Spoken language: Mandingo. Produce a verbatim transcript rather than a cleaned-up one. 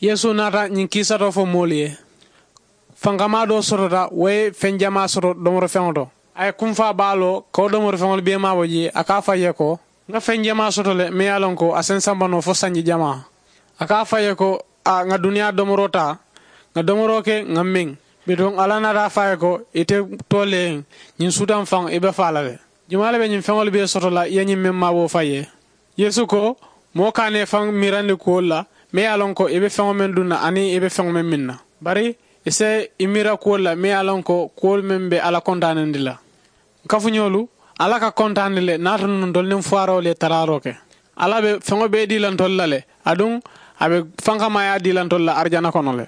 Yeesu naata ñiŋ kiisatoo fo moolu ye. Fankamaa doo sotota wo ye feŋ jamaa soto domorifeŋo to. A ye kumfaa baa loo ka wo domorifeŋolu bee maabo jee a ka a fo a ye ko, ŋa feŋ jamaa soto le meŋ ye a loŋ ko a se n samba noo fo sanji jamaa. A ka a fo a ye ko, a ŋa duniyaa domoroo taa, ŋa domoroo ke ŋa meŋ. Bituŋ alla naata a fo a ye ko, ite too le ye ñiŋ suutaŋ faŋ i be faa la le. Jumaa le be ñiŋ feŋolu bee soto la i ye ñiŋ meŋ maaboo fo a ye? Yeesu ko, moo ka a ne faŋ miirandi kuwolu la meŋ ye a loŋ ko i be feŋo meŋ duŋ na aniŋ i be feŋo meŋ miŋ na. Bari i si i miira kuwolu la meŋ ye a loŋ ko kuwolu meŋ be alla kontaanindi la. N kafuñoolu, alla ka kontaani le niŋ a tunu ntolu niŋ fuwaaroo le taraaroo ke. Alla be feŋo bee dii la ntolu la le, aduŋ a be fankamaayaa dii la ntolu la arijana kono le.